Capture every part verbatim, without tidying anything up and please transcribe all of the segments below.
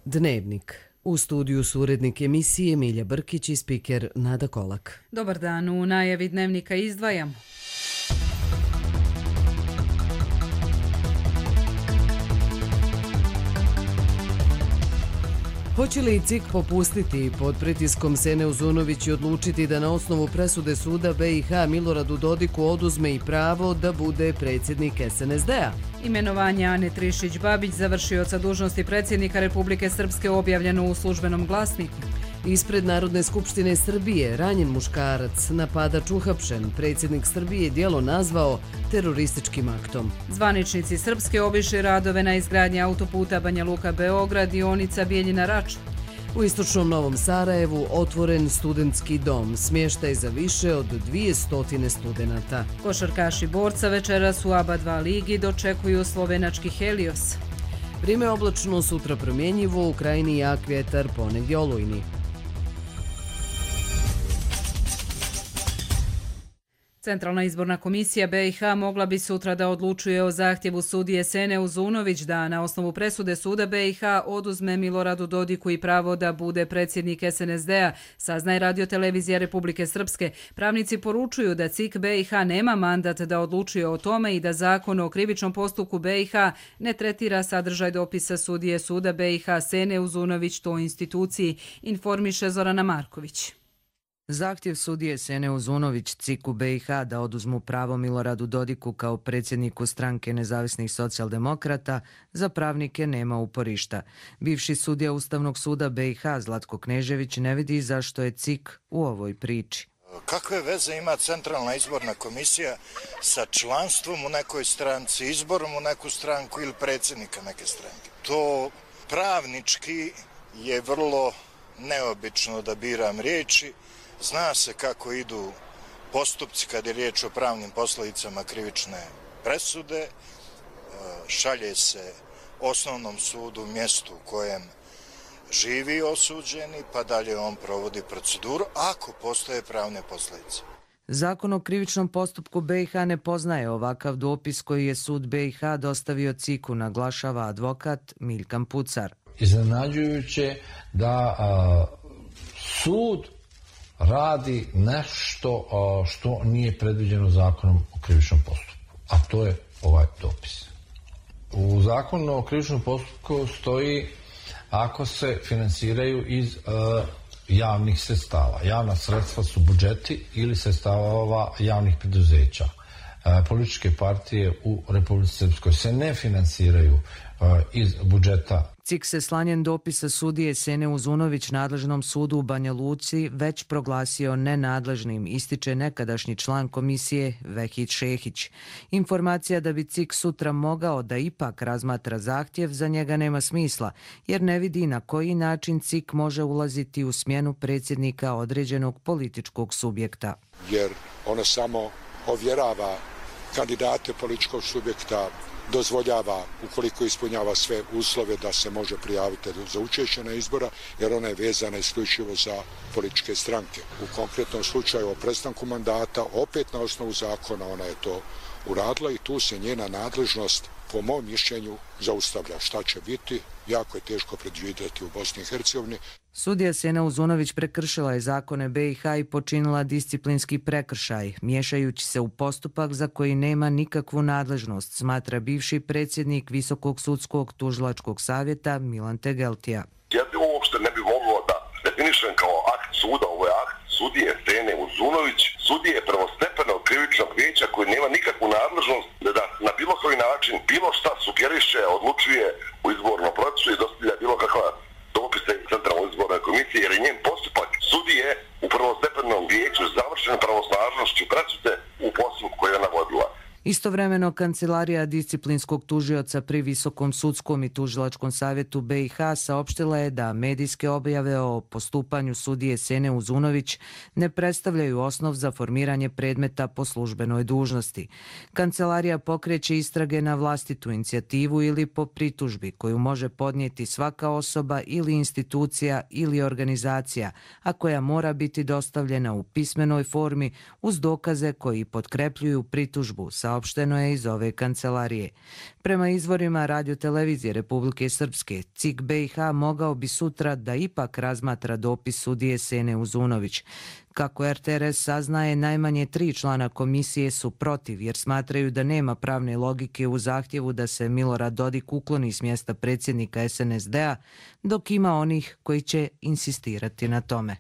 Dnevnik. U studiju su urednik emisije Milja Brkić i spiker Nada Kolak. Dobar dan, u najavi Dnevnika izdvajamo. Hoće li C I K popustiti i pod pritiskom Sene Uzunović i odlučiti da na osnovu presude suda B i H Miloradu Dodiku oduzme i pravo da bude predsjednik S N S D-a? Imenovanje Ane Trišić-Babić, završioca dužnosti predsjednika Republike Srpske, objavljeno u službenom glasniku. Ispred Narodne skupštine Srbije ranjen muškarac, napadač uhapšen, predsjednik Srbije djelo nazvao terorističkim aktom. Zvaničnici Srpske obišli radove na izgradnji autoputa Banja Luka-Beograd, dionica Bijeljina-Rača. U istočnom Novom Sarajevu otvoren studentski dom, smještaj za više od dvjesto studenata. Košarkaši Borca večeras u A B A dva ligi dočekuju slovenački Helios. Vrijeme oblačno, sutra promjenjivo, u krajini jak vjetar, ponegdje olujni. Centralna izborna komisija B i H mogla bi sutra da odlučuje o zahtjevu sudije Sene Uzunović da na osnovu presude suda B i H oduzme Miloradu Dodiku i pravo da bude predsjednik S N S D-a, saznaje Radio-televizija Republike Srpske. Pravnici poručuju da C I K B i H nema mandat da odlučuje o tome i da zakon o krivičnom postupku B i H ne tretira sadržaj dopisa sudije suda B i H Sene Uzunović toj instituciji, informiše Zorana Marković. Zahtjev sudije Sene Uzunović C I K-u B i H da oduzmu pravo Miloradu Dodiku kao predsjedniku stranke nezavisnih socijaldemokrata za pravnike nema uporišta. Bivši sudija Ustavnog suda B i H Zlatko Knežević ne vidi zašto je C I K u ovoj priči. Kakve veze ima Centralna izborna komisija sa članstvom u nekoj stranci, izborom u neku stranku ili predsjednika neke stranke? To pravnički je vrlo neobično, da biram riječi. Zna se kako idu postupci kad je riječ o pravnim posljedicama krivične presude, šalje se osnovnom sudu mjestu u kojem živi osuđeni, pa dalje on provodi proceduru ako postoje pravne posljedice. Zakon o krivičnom postupku B i H ne poznaje ovakav dopis koji je sud B i H dostavio C I K-u, naglašava advokat Miljkan Pucar. Iznenađujuće da a, sud radi nešto što nije predviđeno zakonom o krivičnom postupku, a to je ovaj dopis. U zakonu o krivičnom postupku stoji ako se finansiraju iz uh, javnih sredstava. Javna sredstva su budžeti ili sredstava javnih preduzeća. Uh, političke partije u Republici Srpskoj se ne finansiraju uh, iz budžeta. C I K se slanjem dopisa sudije Sene Uzunović nadležnom sudu u Banja Luci već proglasio nenadležnim, ističe nekadašnji član komisije Vehid Šehić. Informacija da bi C I K sutra mogao da ipak razmatra zahtjev za njega nema smisla, jer ne vidi na koji način C I K može ulaziti u smjenu predsjednika određenog političkog subjekta. Jer ono samo ovjerava kandidate političkog subjekta, dozvoljava, ukoliko ispunjava sve uslove, da se može prijaviti za učešće na izbora, jer ona je vezana isključivo za političke stranke. U konkretnom slučaju o prestanku mandata, opet na osnovu zakona, ona je to uradila i tu se njena nadležnost, po mom mišljenju, zaustavlja. Šta će biti, jako je teško predvidjeti u Bosni i Hercegovini. Sudija Sena Uzunović prekršila je zakone B i H i počinila disciplinski prekršaj, miješajući se u postupak za koji nema nikakvu nadležnost, smatra bivši predsjednik Visokog sudskog tužilačkog savjeta Milan Tegeltija. Ja bi uopšte ne bi mogao da definišem kao akt suda, ovo je akt sudije Sene Uzunović, sudije prvostepenog krivičnog vijeća koji nema nikakvu nadležnost da na bilo koji način bilo šta sugeriše, odlučuje u izbornom procesu i dostavlja bilo kakva dopise Centralnoj izbornoj komisiji, jer je njen postupak sudije u prvostepenom vijeću završen pravosnažnošću presude u postupku koji je ona vodila. Istovremeno, Kancelarija disciplinskog tužioca pri Visokom sudskom i tužilačkom savjetu B i H saopštila je da medijske objave o postupanju sudije Sene Uzunović ne predstavljaju osnov za formiranje predmeta po službenoj dužnosti. Kancelarija pokreće istrage na vlastitu inicijativu ili po pritužbi koju može podnijeti svaka osoba ili institucija ili organizacija, a koja mora biti dostavljena u pismenoj formi uz dokaze koji potkrepljuju pritužbu, saopšteno saopšteno je iz ove kancelarije. Prema izvorima radiotelevizije Republike Srpske, C I K B i H mogao bi sutra da ipak razmatra dopis sudije Sene Uzunović. Kako R T R S saznaje, najmanje tri člana komisije su protiv jer smatraju da nema pravne logike u zahtjevu da se Milorad Dodik ukloni s mjesta predsjednika S N S D-a, dok ima onih koji će insistirati na tome.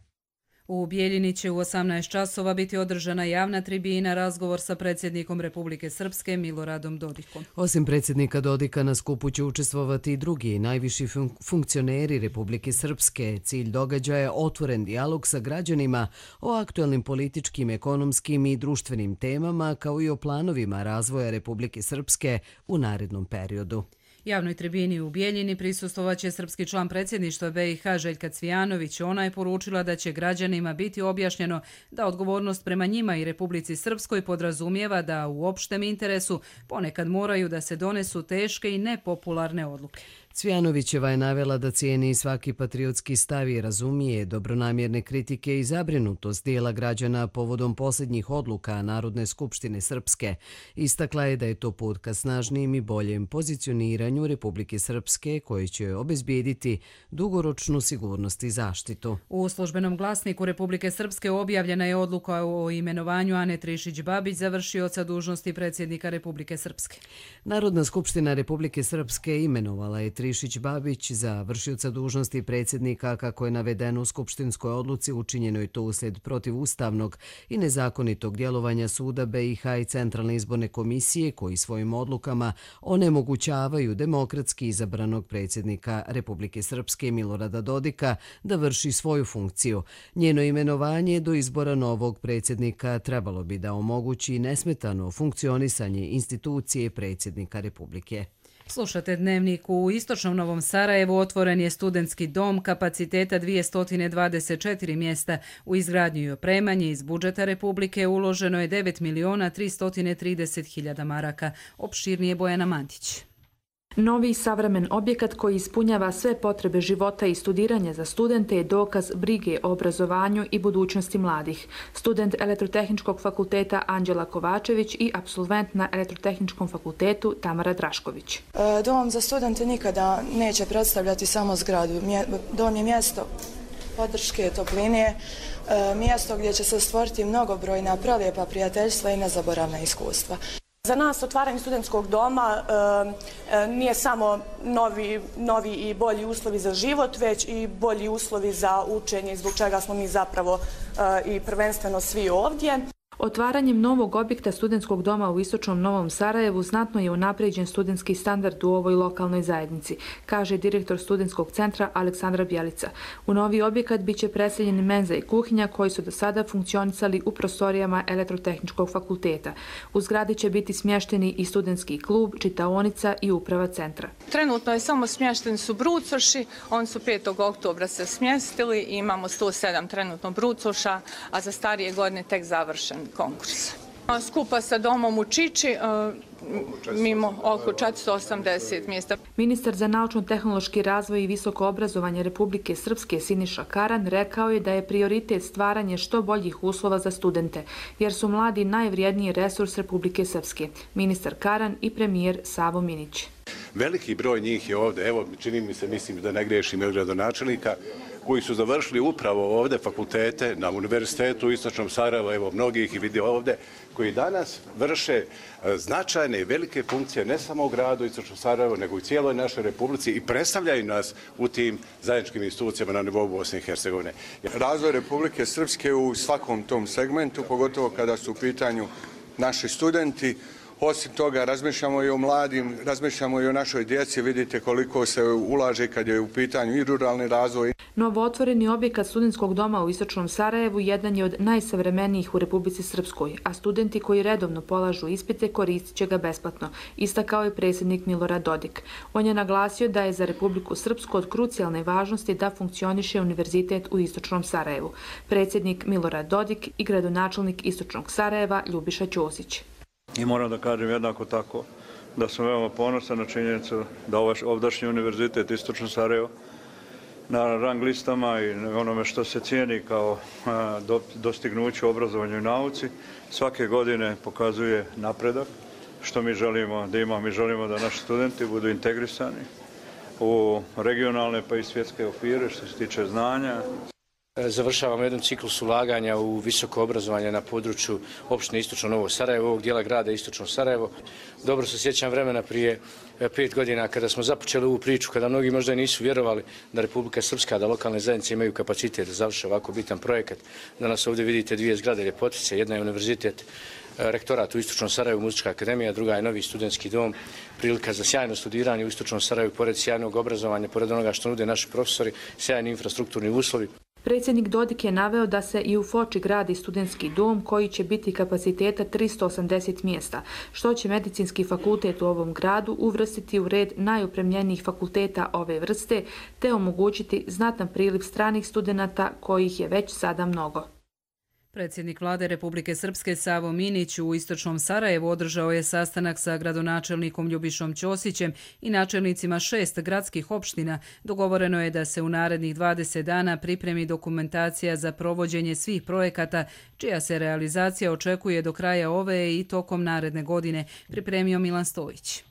U Bijeljini će u osamnaest časova biti održana javna tribina, razgovor sa predsjednikom Republike Srpske Miloradom Dodikom. Osim predsjednika Dodika na skupu će učestvovati i drugi najviši fun funkcioneri Republike Srpske. Cilj događaja je otvoren dijalog sa građanima o aktualnim političkim, ekonomskim i društvenim temama kao i o planovima razvoja Republike Srpske u narednom periodu. Javnoj tribini u Bijeljini prisustvovaće srpski član predsjedništva B i H Željka Cvijanović. Ona je poručila da će građanima biti objašnjeno da odgovornost prema njima i Republici Srpskoj podrazumijeva da u opštem interesu ponekad moraju da se donesu teške i nepopularne odluke. Cvijanovićeva je navela da cijeni svaki patriotski stav i razumije dobronamjerne kritike i zabrinutost dijela građana povodom posljednjih odluka Narodne skupštine Srpske. Istakla je da je to put ka snažnijem i boljem pozicioniranju Republike Srpske koji će obezbijediti dugoročnu sigurnost i zaštitu. U službenom glasniku Republike Srpske objavljena je odluka o imenovanju Ane Trišić-Babić za vršioca dužnosti predsjednika Republike Srpske. Narodna skupština Republike Srpske imenovala je Trišić-Babić za vršioca dužnosti predsjednika, kako je navedeno u skupštinskoj odluci. Učinjeno je to uslijed protivustavnog i nezakonitog djelovanja suda B i H i Centralne izborne komisije koji svojim odlukama onemogućavaju demokratski izabranog predsjednika Republike Srpske Milorada Dodika da vrši svoju funkciju. Njeno imenovanje do izbora novog predsjednika trebalo bi da omogući nesmetano funkcionisanje institucije predsjednika Republike. Slušate Dnevnik. U istočnom Novom Sarajevu otvoren je studentski dom kapaciteta dvjesto dvadeset četiri mjesta. U izgradnju i opremanje iz budžeta Republike uloženo je devet miliona tristo trideset hiljada maraka. Opširnije Bojana Mantić. Novi savremen objekat koji ispunjava sve potrebe života i studiranja za studente je dokaz brige o obrazovanju i budućnosti mladih. Student Elektrotehničkog fakulteta Anđela Kovačević i apsolvent na Elektrotehničkom fakultetu Tamara Drašković. Dom za studente nikada neće predstavljati samo zgradu. Dom je mjesto podrške, topline, mjesto gdje će se stvoriti mnogobrojna prelijepa prijateljstva i nezaboravna iskustva. Za nas otvaranje studentskog doma e, nije samo novi, novi i bolji uslovi za život, već i bolji uslovi za učenje, zbog čega smo mi zapravo e, i prvenstveno svi ovdje. Otvaranjem novog objekta studentskog doma u istočnom Novom Sarajevu znatno je unaprijeđen studentski standard u ovoj lokalnoj zajednici, kaže direktor studentskog centra Aleksandra Bjelica. U novi objekat biće preseljeni menza i kuhinja koji su do sada funkcionisali u prostorijama Elektrotehničkog fakulteta. U zgradi će biti smješteni i studentski klub, čitaonica i uprava centra. Trenutno je samo smješteni su brucoši, oni su petog oktobra se smjestili i imamo sto sedam trenutno brucoša, a za starije godine tek završen konkurs. Skupa sa domom u Čiči mimo oko četiristo osamdeset mjesta. Ministar za naučno-tehnološki razvoj i visoko obrazovanje Republike Srpske Siniša Karan rekao je da je prioritet stvaranje što boljih uslova za studente, jer su mladi najvrijedniji resurs Republike Srpske. Ministar Karan i premijer Savo Minić. Veliki broj njih je ovdje, evo čini mi se, mislim da ne grešim, ili gradonačelnika, koji su završili upravo ovdje fakultete na Univerzitetu u Istočnom Sarajevu, evo mnogih i vidio ovdje, koji danas vrše značajne i velike funkcije ne samo u gradu Istočnom Sarajevu, nego i cijeloj našoj Republici i predstavljaju nas u tim zajedničkim institucijama na nivou Bosne i Hercegovine. Razvoj Republike Srpske u svakom tom segmentu, pogotovo kada su u pitanju naši studenti. Osim toga, razmišljamo i o mladim, razmišljamo i o našoj djeci, vidite koliko se ulaže kad je u pitanju i ruralni razvoj. Novootvoreni objekat studentskog doma u Istočnom Sarajevu jedan je od najsavremenijih u Republici Srpskoj, a studenti koji redovno polažu ispite koristit će ga besplatno, istakao je predsjednik Milorad Dodik. On je naglasio da je za Republiku Srpsku od krucijalne važnosti da funkcioniše univerzitet u Istočnom Sarajevu. Predsjednik Milorad Dodik i gradonačelnik Istočnog Sarajeva Ljubiša Ćosić. I moram da kažem jednako tako da sam veoma ponosan na činjenicu da ovaj ovdašnji univerzitet Istočno Sarajevo na rang listama i onome što se cijeni kao dostignuće u obrazovanju i nauci svake godine pokazuje napredak što mi želimo da imamo. Mi želimo da naši studenti budu integrisani u regionalne pa i svjetske okvire što se tiče znanja. Završavamo jedan ciklus ulaganja u visoko obrazovanje na području opštine Istočno Novo Sarajevo, ovog dijela grada Istočno Sarajevo. Dobro se sjećam vremena prije pet godina kada smo započeli ovu priču, kada mnogi možda nisu vjerovali da Republika Srpska, da lokalne zajednice imaju kapacitet da završe ovako bitan projekat. Danas ovdje vidite dvije zgrade ljepotice, jedna je univerzitet, rektorat u Istočnom Sarajevu, Muzička akademija, druga je novi studentski dom, prilika za sjajno studiranje u Istočnom Sarajevu, pored sjajnog obrazovanja, pored onoga što nude naši profesori, sjajni infrastrukturni uslovi. Predsjednik Dodik je naveo da se i u Foči gradi studentski dom koji će biti kapaciteta tristo osamdeset mjesta, što će medicinski fakultet u ovom gradu uvrstiti u red najopremljenijih fakulteta ove vrste te omogućiti znatan priliv stranih studenata kojih je već sada mnogo. Predsjednik Vlade Republike Srpske Savo Minić u Istočnom Sarajevu održao je sastanak sa gradonačelnikom Ljubišom Ćosićem i načelnicima šest gradskih opština. Dogovoreno je da se u narednih dvadeset dana pripremi dokumentacija za provođenje svih projekata, čija se realizacija očekuje do kraja ove i tokom naredne godine, pripremio Milan Stojić.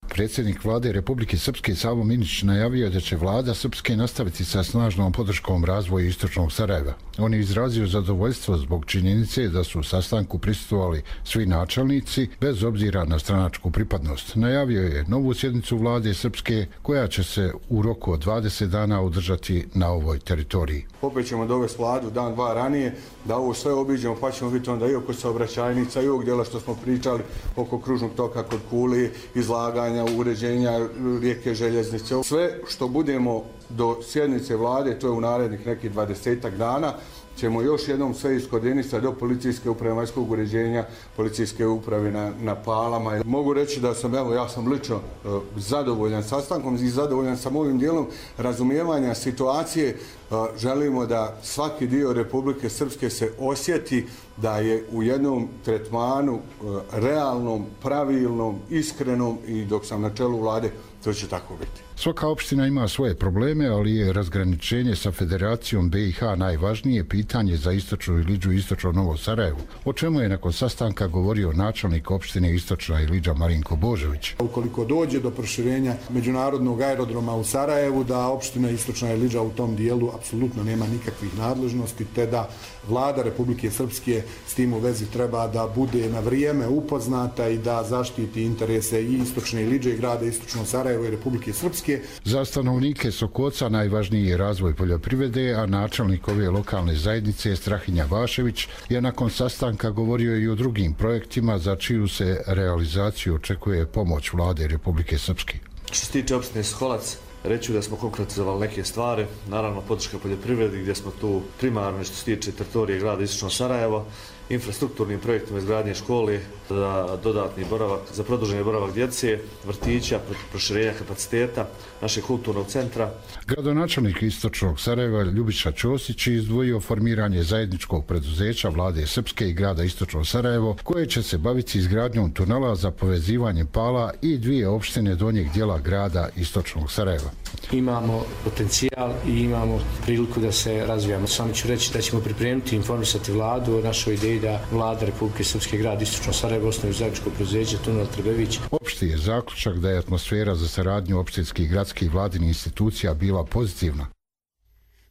Predsjednik Vlade Republike Srpske Savo Minić najavio da će Vlada Srpske nastaviti sa snažnom podrškom razvoju Istočnog Sarajeva. On je izrazio zadovoljstvo zbog činjenice da su u sastanku prisustvovali svi načelnici bez obzira na stranačku pripadnost. Najavio je novu sjednicu Vlade Srpske koja će se u roku od dvadeset dana održati na ovoj teritoriji. Opet ćemo dovesti Vladu dan, dva ranije da ovo sve obiđemo, pa ćemo vidjeti onda i oko saobraćajnica i ovog dijela što smo pričali oko kružnog toka kod Kuli, izlaganja, uređenja rijeke željeznice. Sve što budemo do sjednice Vlade, to je u narednih nekih dvadesetak dana, ćemo još jednom sve iskoordinisati do policijske uprave vanjskog uređenja, policijske uprave na, na Palama. Mogu reći da sam, evo, ja sam lično uh, zadovoljan sastankom i zadovoljan sam ovim dijelom razumijevanja situacije. Uh, želimo da svaki dio Republike Srpske se osjeti da je u jednom tretmanu uh, realnom, pravilnom, iskrenom i dok sam na čelu Vlade, to će tako biti. Svaka opština ima svoje probleme, ali je razgraničenje sa Federacijom B i H najvažnije pitanje za Istočnu Iliđu i Istočno Novo Sarajevo, o čemu je nakon sastanka govorio načelnik opštine Istočna Iliđa Marinko Božović. Ukoliko dođe do proširenja međunarodnog aerodroma u Sarajevu, da opština Istočna Iliđa u tom dijelu apsolutno nema nikakvih nadležnosti, te da Vlada Republike Srpske s tim u vezi treba da bude na vrijeme upoznata i da zaštiti interese i Istočne Iliđe i grada Istočno Sarajevo i Republike Srpske. Za stanovnike Sokoca najvažniji je razvoj poljoprivrede, a načelnik ove lokalne zajednice Strahinja Vašević je nakon sastanka govorio i o drugim projektima za čiju se realizaciju očekuje pomoć Vlade Republike Srpske. Što se tiče opštine Soholac, reću da smo konkretizovali neke stvari, naravno podrška poljoprivredi gdje smo tu primarno što se tiče teritorije grada Istočno Sarajevo, infrastrukturnim projektima izgradnje škole za dodatni boravak, za produženi boravak djece, vrtića, proširenja kapaciteta našeg kulturnog centra. Gradonačelnik Istočnog Sarajeva Ljubiša Ćosić je izdvojio formiranje zajedničkog preduzeća Vlade Srpske i grada Istočno Sarajevo, koje će se baviti izgradnjom tunela za povezivanje Pala i dvije opštine donjeg dijela grada Istočnog Sarajeva. Imamo potencijal i imamo priliku da se razvijamo. Samo ću reći da ćemo pripremiti i informisati Vladu o našoj ideji da Vlada Republike Srpske grad Istočno Sarajevo osnovi zajedničko preduzeće Tunel Trbević. Opšti je zaključak da je atmosfera za saradnju opštinskih, gradskih i vladinih institucija bila pozitivna.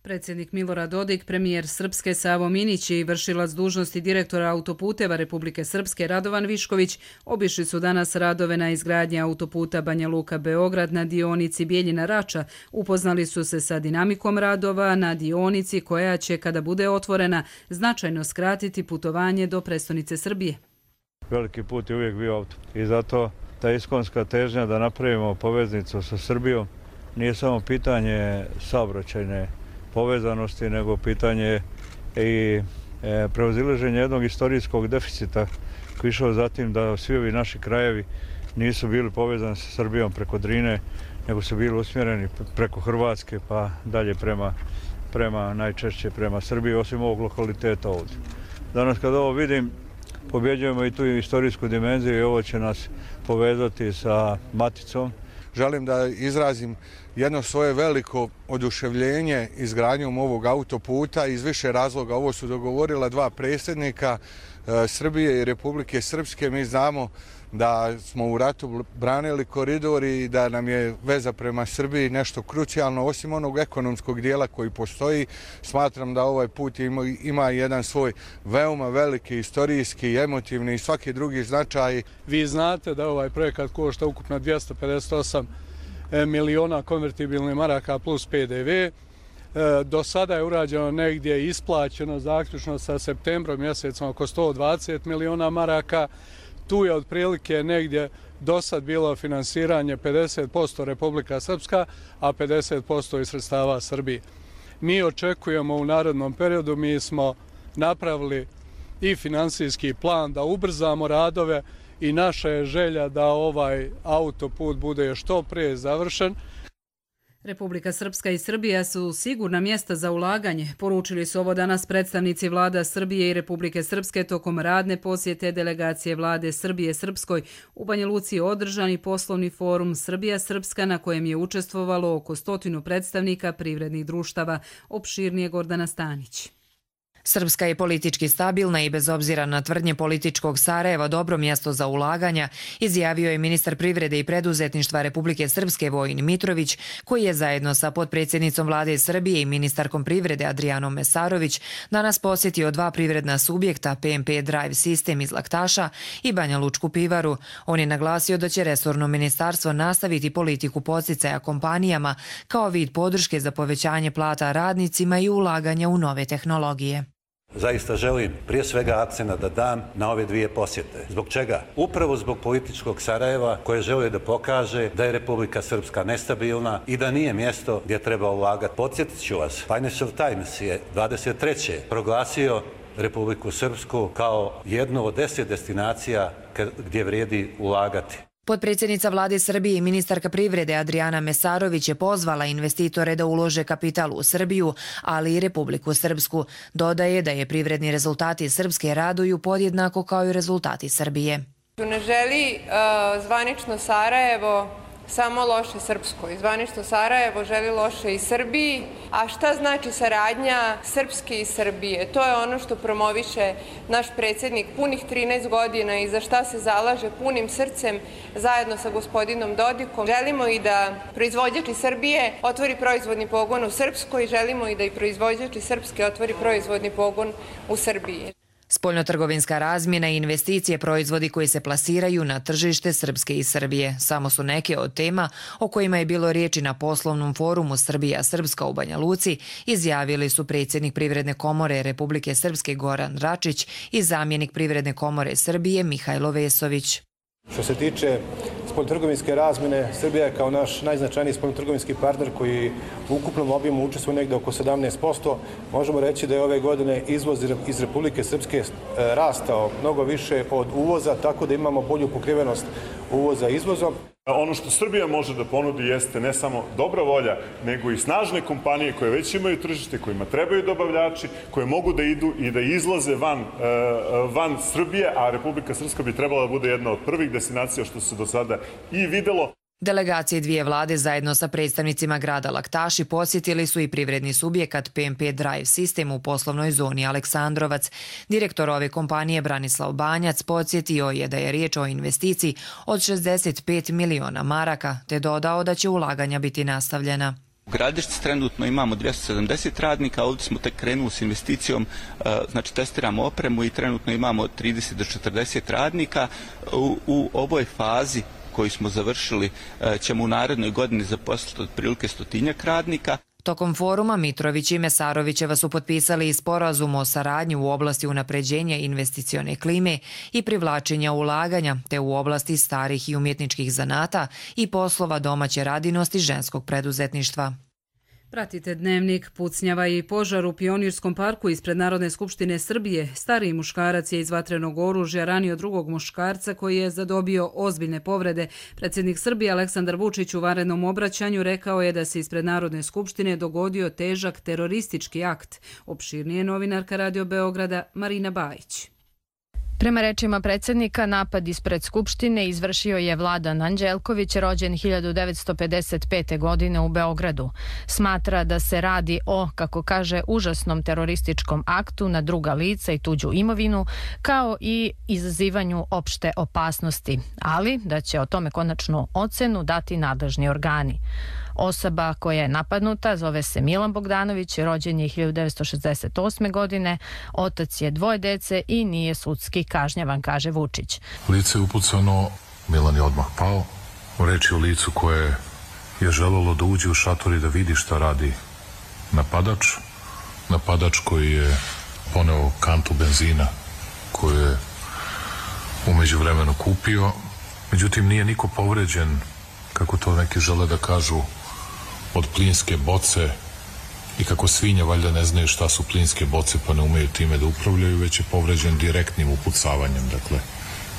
Predsjednik Milorad Dodik, premijer Srpske Savo Minić i vršilac dužnosti direktora autoputeva Republike Srpske Radovan Višković obišli su danas radove na izgradnji autoputa Banja Luka-Beograd na dionici Bijeljina-Rača. Upoznali su se sa dinamikom radova na dionici koja će, kada bude otvorena, značajno skratiti putovanje do prestonice Srbije. Veliki put je uvijek bio auto i zato ta iskonska težnja da napravimo poveznicu sa Srbijom nije samo pitanje saobraćajne povezanosti, nego pitanje i prevazilaženja jednog istorijskog deficita koji išao zatim da svi ovi naši krajevi nisu bili povezani sa Srbijom preko Drine, nego su bili usmjereni preko Hrvatske pa dalje prema, prema najčešće prema Srbiji, osim ovog lokaliteta ovdje. Danas kad ovo vidim, pobjeđujemo i tu istorijsku dimenziju i ovo će nas povezati sa maticom. Želim da izrazim jedno svoje veliko oduševljenje izgradnjom ovog autoputa iz više razloga. Ovo su dogovorila dva predsjednika Srbije i Republike Srpske. Mi znamo da smo u ratu branili koridor i da nam je veza prema Srbiji nešto krucijalno. Osim onog ekonomskog dijela koji postoji, smatram da ovaj put ima, ima jedan svoj veoma veliki istorijski, emotivni i svaki drugi značaj. Vi znate da ovaj projekat košta ukupno dvjesto pedeset osam miliona konvertibilnih maraka plus P D V. Do sada je urađeno negdje isplaćeno zaključno sa septembrom mjesecom oko sto dvadeset miliona maraka. Tu je otprilike negdje do sad bilo finansiranje pedeset posto Republika Srpska, a pedeset posto iz sredstava Srbije. Mi očekujemo u narednom periodu, mi smo napravili i finansijski plan da ubrzamo radove i naša je želja da ovaj autoput bude što prije završen. Republika Srpska i Srbija su sigurna mjesta za ulaganje. Poručili su ovo danas predstavnici vlada Srbije i Republike Srpske tokom radne posjete delegacije vlade Srbije Srpskoj. U Banja Luci je održani poslovni forum Srbija-Srpska na kojem je učestvovalo oko stotinu predstavnika privrednih društava. Opširnije Gordana Stanić. Srpska je politički stabilna i bez obzira na tvrdnje političkog Sarajeva dobro mjesto za ulaganja, izjavio je ministar privrede i preduzetništva Republike Srpske Vojin Mitrović, koji je zajedno sa potpredsjednicom vlade Srbije i ministarkom privrede Adrijanom Mesarović danas posjetio dva privredna subjekta P M P Drive System iz Laktaša i Banja Lučku pivaru. On je naglasio da će resorno ministarstvo nastaviti politiku podsticaja kompanijama kao vid podrške za povećanje plata radnicima i ulaganja u nove tehnologije. Zaista želim prije svega akcenta da dam na ove dvije posjete. Zbog čega? Upravo zbog političkog Sarajeva koje želi da pokaže da je Republika Srpska nestabilna i da nije mjesto gdje treba ulagati. Podsjetit ću vas, Financial Times je dvadeset treće proglasio Republiku Srpsku kao jednu od deset destinacija gdje vrijedi ulagati. Potpredsjednica vlade Srbije i ministarka privrede Adrijana Mesarović je pozvala investitore da ulože kapital u Srbiju, ali i Republiku Srpsku. Dodaje da je privredni rezultati Srpske raduju podjednako kao i rezultati Srbije. Ne želi uh, zvanično Sarajevo samo loše Srpskoj. Zvanično Sarajevo želi loše i Srbiji. A šta znači saradnja Srpske i Srbije? To je ono što promoviše naš predsjednik punih trinaest godina i za šta se zalaže punim srcem zajedno sa gospodinom Dodikom. Želimo i da proizvođač iz Srbije otvori proizvodni pogon u Srpskoj, želimo i da i proizvođač iz Srpske otvori proizvodni pogon u Srbiji. Spoljnotrgovinska razmjena i investicije proizvodi koji se plasiraju na tržište Srpske i Srbije samo su neke od tema o kojima je bilo riječi na poslovnom forumu Srbija-Srpska u Banja Luci, izjavili su predsjednik Privredne komore Republike Srpske Goran Račić i zamjenik Privredne komore Srbije Mihajlo Vesović. Što se tiče spoljnotrgovinske razmjene, Srbija je kao naš najznačajniji spoljnotrgovinski partner koji u ukupnom objemu učestvuje negdje oko sedamnaest posto. Možemo reći da je ove godine izvoz iz Republike Srpske rastao mnogo više od uvoza, tako da imamo bolju pokrivenost uvoza izvozom. Ono što Srbija može da ponudi jeste ne samo dobra volja, nego i snažne kompanije koje već imaju tržište, kojima trebaju dobavljači, koje mogu da idu i da izlaze van, van Srbije, a Republika Srpska bi trebala da bude jedna od prvih destinacija što se do sada i videlo. Delegacije dvije vlade zajedno sa predstavnicima grada Laktaši posjetili su i privredni subjekat P M P Drive System u poslovnoj zoni Aleksandrovac. Direktor ove kompanije Branislav Banjac podsjetio je da je riječ o investiciji od šezdeset pet miliona maraka, te dodao da će ulaganja biti nastavljena. U Gradišci trenutno imamo dvjesto sedamdeset radnika, ovdje smo tek krenuli s investicijom, znači testiramo opremu i trenutno imamo trideset do četrdeset radnika. U, u ovoj fazi koju smo završili ćemo u narednoj godini zaposliti otprilike stotinjak radnika. Tokom foruma Mitrović i Mesarovićeva su potpisali i sporazum o saradnji u oblasti unapređenja investicione klime i privlačenja ulaganja, te u oblasti starih i umjetničkih zanata i poslova domaće radinosti ženskog preduzetništva. Pratite Dnevnik. Pucnjava i požar u Pionirskom parku ispred Narodne skupštine Srbije. Stariji muškarac je iz vatrenog oružja ranio drugog muškarca koji je zadobio ozbiljne povrede. Predsjednik Srbije Aleksandar Vučić u vanrednom obraćanju rekao je da se ispred Narodne skupštine dogodio težak teroristički akt. Opširnije novinarka Radio Beograda Marina Bajić. Prema rečima predsjednika, napad ispred Skupštine izvršio je Vladan Anđelković, rođen hiljadu devetsto pedeset pete. godine u Beogradu. Smatra da se radi o, kako kaže, užasnom terorističkom aktu na druga lica i tuđu imovinu, kao i izazivanju opšte opasnosti, ali da će o tome konačnu ocenu dati nadležni organi. Osoba koja je napadnuta zove se Milan Bogdanović, rođen je hiljadu devetsto šezdeset osme. godine, otac je dvoje dece i nije sudski kažnjavan, kaže Vučić. Lice je upucano, Milan je odmah pao. Reč je o licu koje je želelo da uđe u šator i da vidi šta radi napadač. Napadač koji je poneo kantu benzina koju je umeđu vremenu kupio. Međutim, nije niko povređen, kako to neki žele da kažu, od plinske boce i kako svinja valjda ne znaju šta su plinske boce pa ne umeju time da upravljaju, već je povređen direktnim upucavanjem, dakle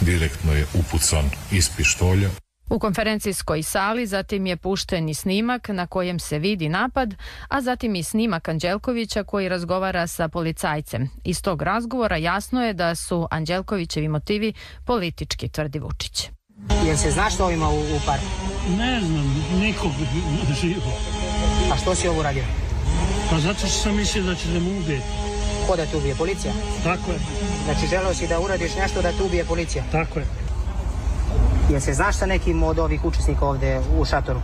direktno je upucan iz pištolja. U konferencijskoj sali zatim je pušten i snimak na kojem se vidi napad, a zatim i snimak Anđelkovića koji razgovara sa policajcem. Iz tog razgovora jasno je da su Anđelkovićevi motivi politički, tvrdi Vučić. Jel se zna što ima u, u parku? Ne znam, nikog živo. A što si ovo uradio? Pa zato što sam mislio da će da mu ubije. Ko da te ubije? Policija? Tako je. Znači želeo si da uradiš nešto da te ubije policija? Tako je. Jel se znaš sa nekim od ovih učesnika ovde u šatoru?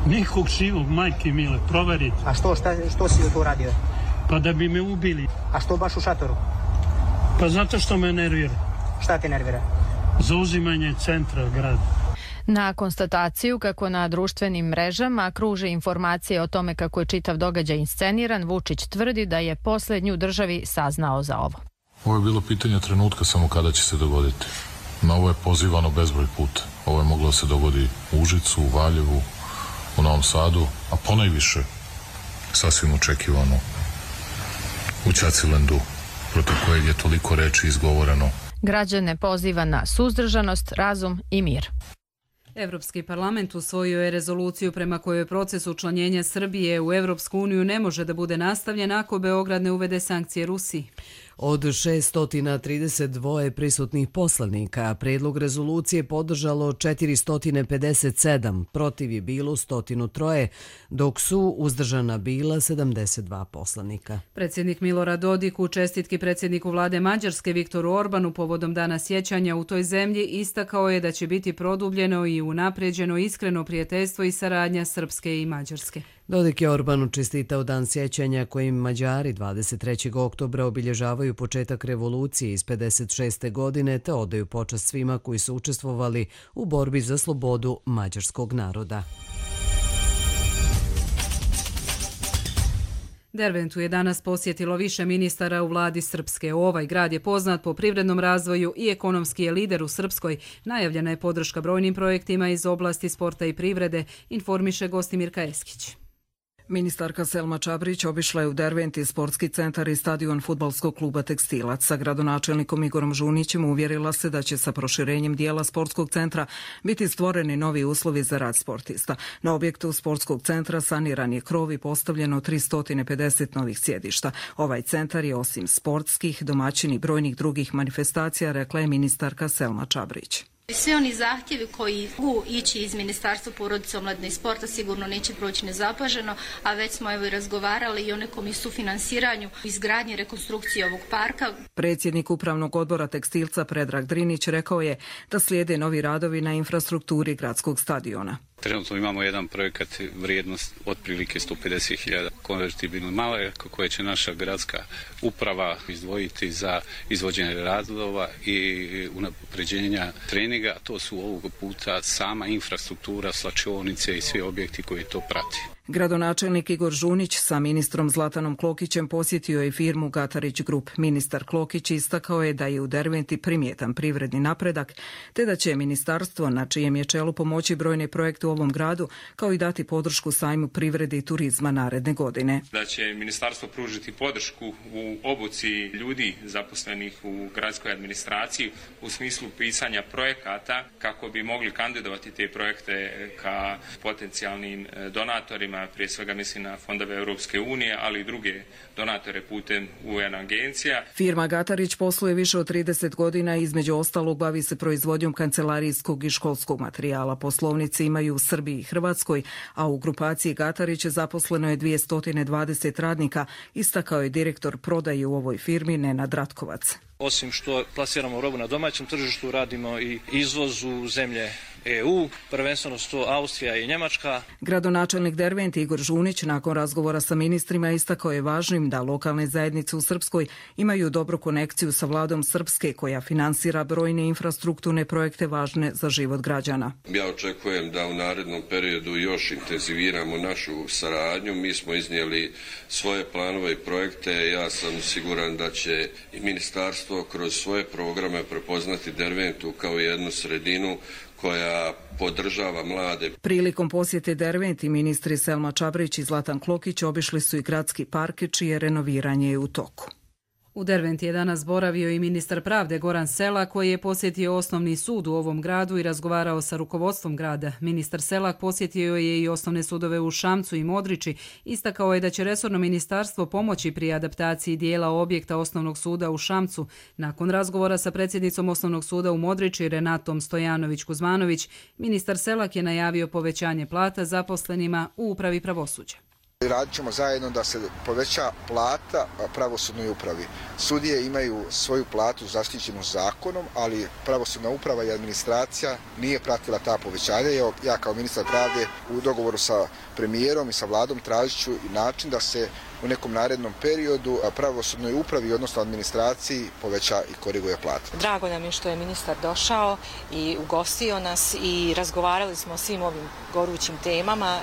Nikog živog, majke mile, proveriti. A što, šta, što si tu uradio? Pa da bi me ubili. A što baš u šatoru? Pa zato što me nervira. Šta te nervira? Zauzimanje centra grada. Na konstataciju kako na društvenim mrežama kruže informacije o tome kako je čitav događaj insceniran, Vučić tvrdi da je posljednju državi saznao za ovo. Ovo je bilo pitanje trenutka samo kada će se dogoditi. Na ovo je pozivano bezbroj puta. Ovo je moglo da se dogodi u Užicu, u Valjevu, u Novom Sadu, a ponajviše sasvim očekivano u Ćacilendu, protiv kojeg je toliko reči izgovoreno. Građane poziva na suzdržanost, razum i mir. Evropski parlament usvojio je rezoluciju prema kojoj proces učlanjenja Srbije u Evropsku uniju ne može da bude nastavljen ako Beograd ne uvede sankcije Rusiji. Od šeststo trideset dva prisutnih poslanika predlog rezolucije podržalo četiristo pedeset sedam, protiv je bilo sto tri, dok su uzdržana bila sedamdeset dva poslanika. Predsjednik Milorad Dodik u čestitki predsjedniku vlade Mađarske Viktoru Orbanu povodom dana sjećanja u toj zemlji istakao je da će biti produbljeno i unaprijeđeno iskreno prijateljstvo i saradnja Srpske i Mađarske. Dodik je Orbanu čestitao dan sjećanja kojim Mađari dvadeset trećeg oktobra obilježavaju početak revolucije iz pedeset šeste. godine te odaju počast svima koji su učestvovali u borbi za slobodu mađarskog naroda. Derventu je danas posjetilo više ministara u vladi Srpske. Ovaj grad je poznat po privrednom razvoju i ekonomski je lider u Srpskoj. Najavljena je podrška brojnim projektima iz oblasti sporta i privrede, informiše Gostimirka Eskić. Ministarka Selma Čabrić obišla je u Derventi sportski centar i stadion fudbalskog kluba Tekstilac. Sa gradonačelnikom Igorom Žunićem uvjerila se da će sa proširenjem dijela sportskog centra biti stvoreni novi uslovi za rad sportista. Na objektu sportskog centra saniran je krov i postavljeno tristo pedeset novih sjedišta. Ovaj centar je osim sportskih, domaćin i brojnih drugih manifestacija, rekla je ministarka Selma Čabrić. Svi oni zahtjevi koji mogu ići iz Ministarstva porodice, omladine i sporta sigurno neće proći nezapaženo, a već smo evo i razgovarali i o nekom i sufinansiranju izgradnje rekonstrukcije ovog parka. Predsjednik Upravnog odbora Tekstilca Predrag Drinić rekao je da slijede novi radovi na infrastrukturi gradskog stadiona. Trenutno imamo jedan projekat vrijednost otprilike sto pedeset hiljada konvertibilnih maraka koje će naša gradska uprava izdvojiti za izvođenje radova i unapređenja treninga. To su ovog puta sama infrastruktura, slačionice i svi objekti koji to prati. Gradonačelnik Igor Žunić sa ministrom Zlatanom Klokićem posjetio je firmu Gatarić Group. Ministar Klokić istakao je da je u Derventi primjetan privredni napredak, te da će ministarstvo na čijem je čelu pomoći brojne projekte u ovom gradu, kao i dati podršku sajmu privrede i turizma naredne godine. Da će ministarstvo pružiti podršku u obuci ljudi zaposlenih u gradskoj administraciji u smislu pisanja projekata kako bi mogli kandidovati te projekte ka potencijalnim donatorima donatorima, prije svega mislim na fondove Europske unije, ali i druge donatore putem U N agencija. Firma Gatarić posluje više od trideset godina i između ostalog bavi se proizvodnjom kancelarijskog i školskog materijala. Poslovnice imaju u Srbiji i Hrvatskoj, a u grupaciji Gatarić zaposleno je dvjesto dvadeset radnika, istakao je direktor prodaje u ovoj firmi Nenad Ratkovac. Osim što plasiramo robu na domaćem tržištu, radimo i izvoz u zemlje E U, prvenstveno su to Austrija i Njemačka. Gradonačelnik Dervente Igor Žunić nakon razgovora sa ministrima istakao je važnim da lokalne zajednice u Srpskoj imaju dobru konekciju sa vladom Srpske koja finansira brojne infrastrukturne projekte važne za život građana. Ja očekujem da u narednom periodu još intenziviramo našu saradnju. Mi smo iznijeli svoje planove i projekte. Ja sam siguran da će i ministarstvo kroz svoje programe prepoznati Derventu kao jednu sredinu koja podržava mlade. Prilikom posjete Derventi ministri Selma Čabrić i Zlatan Klokić obišli su i gradski park čije renoviranje je u toku. U Derventi je danas boravio i ministar pravde Goran Selak koji je posjetio osnovni sud u ovom gradu i razgovarao sa rukovodstvom grada. Ministar Selak posjetio je i osnovne sudove u Šamcu i Modriči. Istakao je da će resorno ministarstvo pomoći pri adaptaciji dijela objekta osnovnog suda u Šamcu. Nakon razgovora sa predsjednicom osnovnog suda u Modriči Renatom Stojanović-Kuzmanović, ministar Selak je najavio povećanje plata zaposlenima u upravi pravosuđa. Radit ćemo zajedno da se poveća plata pravosudnoj upravi. Sudije imaju svoju platu zaštićenu zakonom, ali pravosudna uprava i administracija nije pratila ta povećanja. Ja kao ministar pravde u dogovoru sa premijerom i sa vladom tražit ću način da se u nekom narednom periodu pravosudnoj upravi, odnosno administraciji, poveća i koriguje plata. Drago nam je što je ministar došao i ugostio nas i razgovarali smo o svim ovim gorućim temama.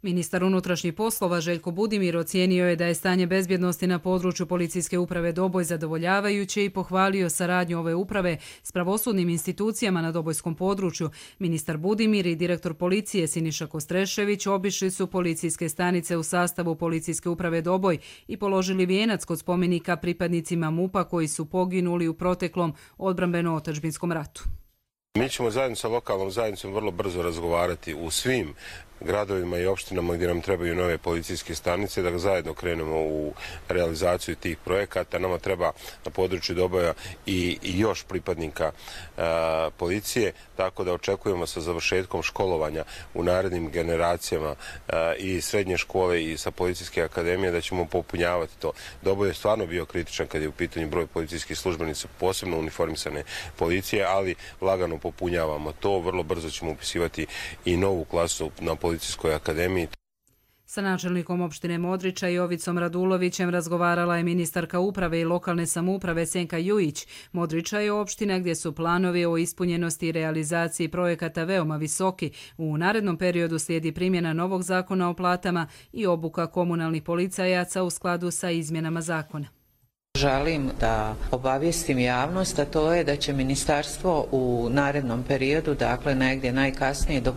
Ministar unutrašnjih poslova Željko Budimir ocijenio je da je stanje bezbjednosti na području policijske uprave Doboj zadovoljavajuće i pohvalio saradnju ove uprave s pravosudnim institucijama na dobojskom području. Ministar Budimir i direktor policije Siniša Kostrešević obišli su policijske stanice u sastavu policijske uprave Doboj i položili vijenac kod spomenika pripadnicima MUP-a koji su poginuli u proteklom odbrambeno-otadžbinskom ratu. Mi ćemo zajedno sa lokalnom zajednicom vrlo brzo razgovarati u svim gradovima i opštinama gdje nam trebaju nove policijske stanice, da zajedno krenemo u realizaciju tih projekata. Nama treba na području Doboja i još pripadnika a, policije, tako da očekujemo sa završetkom školovanja u narednim generacijama a, i srednje škole i sa policijske akademije da ćemo popunjavati to. Doboj je stvarno bio kritičan kad je u pitanju broj policijskih službenica, posebno uniformisane policije, ali lagano popunjavamo to. Vrlo brzo ćemo upisivati i novu klasu na Policijskoj akademiji. Sa načelnikom opštine Modriča Jovicom Radulovićem razgovarala je ministarka uprave i lokalne samouprave Senka Jujić. Modriča je opština gdje su planovi o ispunjenosti i realizaciji projekata veoma visoki. U narednom periodu slijedi primjena novog zakona o platama i obuka komunalnih policajaca u skladu sa izmjenama zakona. Želim da obavijestim javnost, a to je da će ministarstvo u narednom periodu, dakle negdje najkasnije do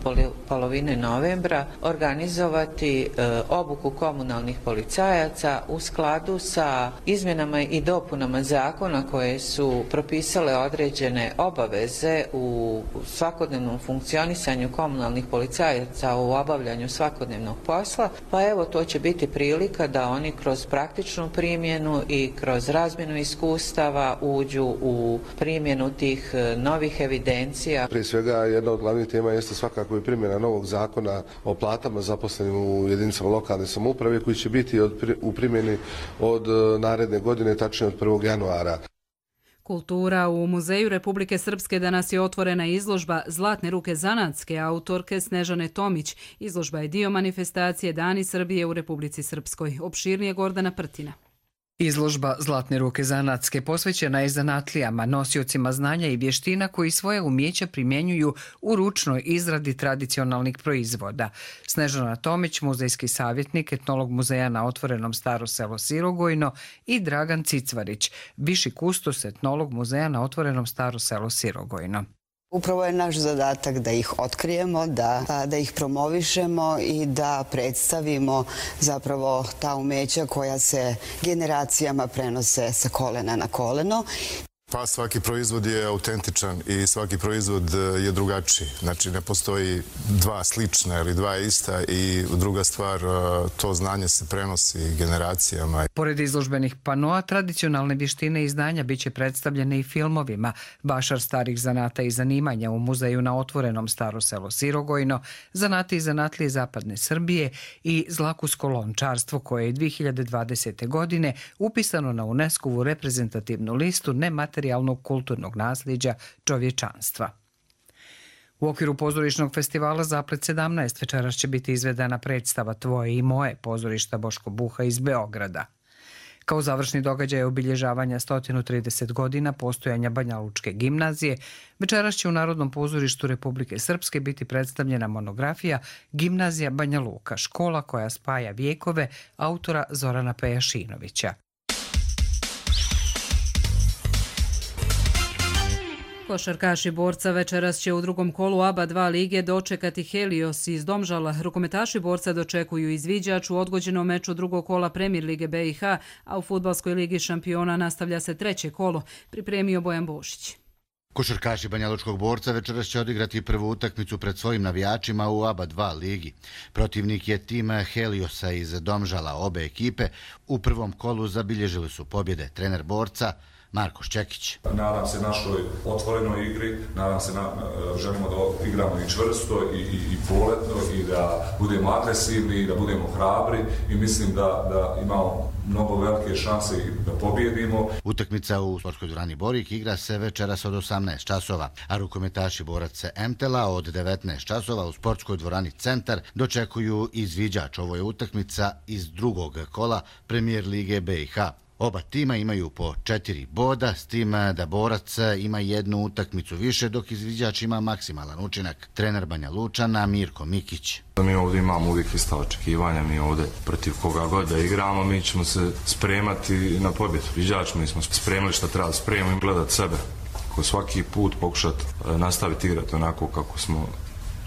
polovine novembra, organizovati e, obuku komunalnih policajaca u skladu sa izmjenama i dopunama zakona koje su propisale određene obaveze u svakodnevnom funkcionisanju komunalnih policajaca u obavljanju svakodnevnog posla, pa evo to će biti prilika da oni kroz praktičnu primjenu i kroz razmjenu iskustava uđu u primjenu tih novih evidencija. Prije svega jedna od glavnih tema jeste svakako i primjena novog zakona o platama zaposlenim u jedinicama lokalne samouprave koji će biti od, u primjeni od naredne godine, tačnije od prvog januara. Kultura. U Muzeju Republike Srpske danas je otvorena izložba Zlatne ruke zanatske autorke Snežane Tomić. Izložba je dio manifestacije Dani Srbije u Republici Srpskoj. Opširnije Gordana Prtina. Izložba Zlatne ruke zanatske posvećena je zanatlijama, nosiocima znanja i vještina koji svoje umjeća primjenjuju u ručnoj izradi tradicionalnih proizvoda. Snežana Tomić, muzejski savjetnik, etnolog muzeja na otvorenom Staro selo Sirogojno, i Dragan Cicvarić, viši kustos, etnolog muzeja na otvorenom Staro selo Sirogojno. Upravo je naš zadatak da ih otkrijemo, da, da ih promovišemo i da predstavimo zapravo ta umeća koja se generacijama prenose sa kolena na koleno. Pa svaki proizvod je autentičan i svaki proizvod je drugačiji. Znači ne postoji dva slična ili dva ista i druga stvar, to znanje se prenosi generacijama. Pored izložbenih panoa, tradicionalne vještine i znanja biće predstavljene i filmovima. Bašar starih zanata i zanimanja u muzeju na otvorenom Staro selo Sirogojno, zanati i zanatlije zapadne Srbije i zlakusko lončarstvo koje je dvije hiljade dvadesete. godine upisano na UNESCO-vu reprezentativnu listu nematerijalnog kulturnog nasljeđa čovječanstva. U okviru pozorišnog festivala Zaplet sedamnaest večeras će biti izvedena predstava Tvoje i moje pozorišta Boško Buha iz Beograda. Kao završni događaj obilježavanja sto trideset godina postojanja Banjalučke gimnazije, večeras će u Narodnom pozorištu Republike Srpske biti predstavljena monografija Gimnazija Banja Luka, škola koja spaja vijekove, autora Zorana Pejašinovića. Košarkaši Borca večeras će u drugom kolu A B A dva lige dočekati Helios iz Domžala. Rukometaši Borca dočekuju izviđač u odgođenom meču drugog kola Premier lige B i H, a u Fudbalskoj ligi šampiona nastavlja se treće kolo, pripremio Bojan Bošić. Košarkaši Banjalučkog Borca večeras će odigrati prvu utakmicu pred svojim navijačima u A B A dva ligi. Protivnik je tim Heliosa iz Domžala. Obe ekipe u prvom kolu zabilježili su pobjede. Trener Borca Marko Šćekić. Nadam se našoj otvorenoj igri, nadam se na, želimo da igramo i čvrsto i, i, i poletno i da budemo agresivni i da budemo hrabri i mislim da, da imamo mnogo velike šanse da pobjedimo. Utakmica u sportskoj dvorani Borik igra se večeras od osamnaest časova, a rukometaši Borac Emtela od devetnaest časova u sportskoj dvorani Centar dočekuju izviđač. Ovo je utakmica iz drugog kola Premier lige B i H. Oba tima imaju po četiri boda, s tim da Borac ima jednu utakmicu više, dok izviđač ima maksimalan učinak. Trener Banja Lučana Mirko Mikić. Mi ovdje imamo uvijek ista očekivanja, mi ovdje protiv koga god da igramo, mi ćemo se spremati na pobjedu. Izviđač, mi smo spremili što treba spremiti i gledati sebe. Ko svaki put pokušati nastaviti igrati onako kako smo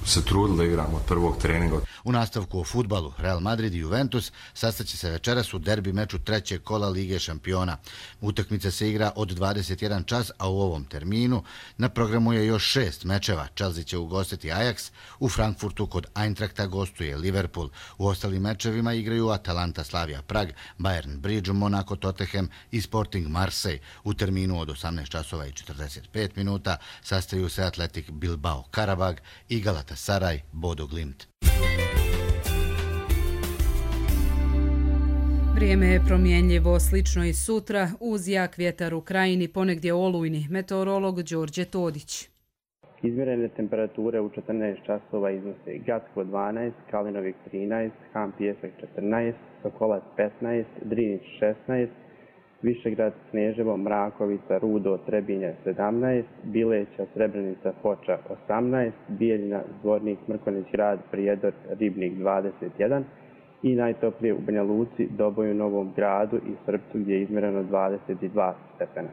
se trudili da igramo od prvog treninga. U nastavku o fudbalu Real Madrid i Juventus sastaće se večeras u derbi meču trećeg kola Lige šampiona. Utakmica se igra od dvadeset jedan čas, a u ovom terminu na programu je još šest mečeva. Chelsea će ugostiti Ajax, u Frankfurtu kod Eintrachta gostuje Liverpool. U ostalim mečevima igraju Atalanta, Slavia Prag, Bayern Bridge, Monaco, Tottenham i Sporting Marseille. U terminu od osamnaest časova i četrdeset pet minuta sastaju se Atletik Bilbao Karabag i Galatasaray Bodo Glimt. Vrijeme je promjenljivo, slično i sutra, uz jak vjetar u krajini, ponegdje olujni. Meteorolog Đorđe Todić. Izmjerene temperature u četrnaest časova iznose Gacko dvanaest, Kalinovik trinaest, Han Pijesak četrnaest, Sokolac petnaest, Drinić šesnaest, Višegrad, Sneževo, Mrakovica, Rudo, Trebinje sedamnaest, Bileća, Srebrenica, Foča osamnaest, Bijeljina, Zvornik, Mrkonjić Grad, Prijedor, Ribnik dvadeset jedan i najtoplije u Banja Luci, Doboju, Novom Gradu i Srpcu gdje je izmjereno dvadeset dva stepena.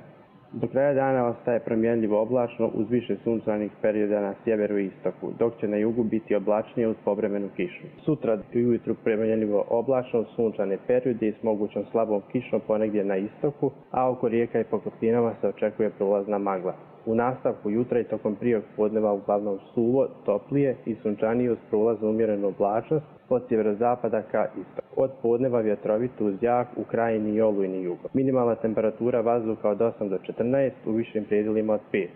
Do kraja dana ostaje promjenljivo oblačno uz više sunčanih perioda na sjeveru i istoku, dok će na jugu biti oblačnije uz povremenu kišu. Sutra ujutru promjenljivo oblačno uz sunčane periode i s mogućom slabom kišom ponegdje na istoku, a oko rijeka i pokopinama se očekuje prolazna magla. U nastavku jutra i tokom prijeg podneva uglavnom suvo, toplije i sunčanije uz prolaz umjerenu oblačnost od sjeverozapada ka istoku. Od podneva vjetrovito uz jak u krajini i olujni jugo. Minimalna temperatura vazduha od osam do četrnaest, u višim predjelima od pet.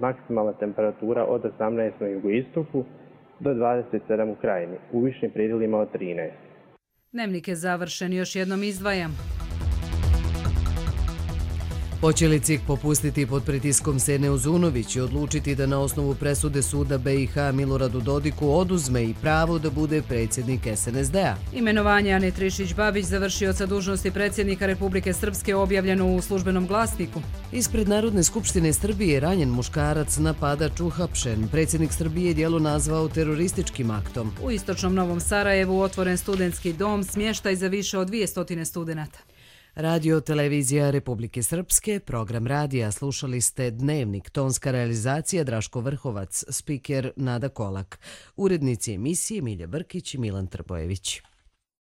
Maksimalna temperatura od osamnaest na jugoistoku do dvadeset sedam u krajini, u višim predjelima od trinaest. Dnevnik je završen, još jednom izdvajam. Hoće li C I K popustiti pod pritiskom Sene Uzunović i odlučiti da na osnovu presude suda B i H Miloradu Dodiku oduzme i pravo da bude predsjednik S N S D-a? Imenovanje Ane Trišić-Babić, završioca dužnosti predsjednika Republike Srpske, objavljeno u službenom glasniku. Ispred Narodne skupštine Srbije ranjen muškarac, napadač, uhapšen. Predsjednik Srbije djelo nazvao terorističkim aktom. U istočnom Novom Sarajevu otvoren studentski dom, smještaj za više od dvjesto studenata. Radio Televizija Republike Srpske, program radija, slušali ste Dnevnik, tonska realizacija Draško Vrhovac, spiker Nada Kolak, urednici emisije Milja Brkić i Milan Trbojević.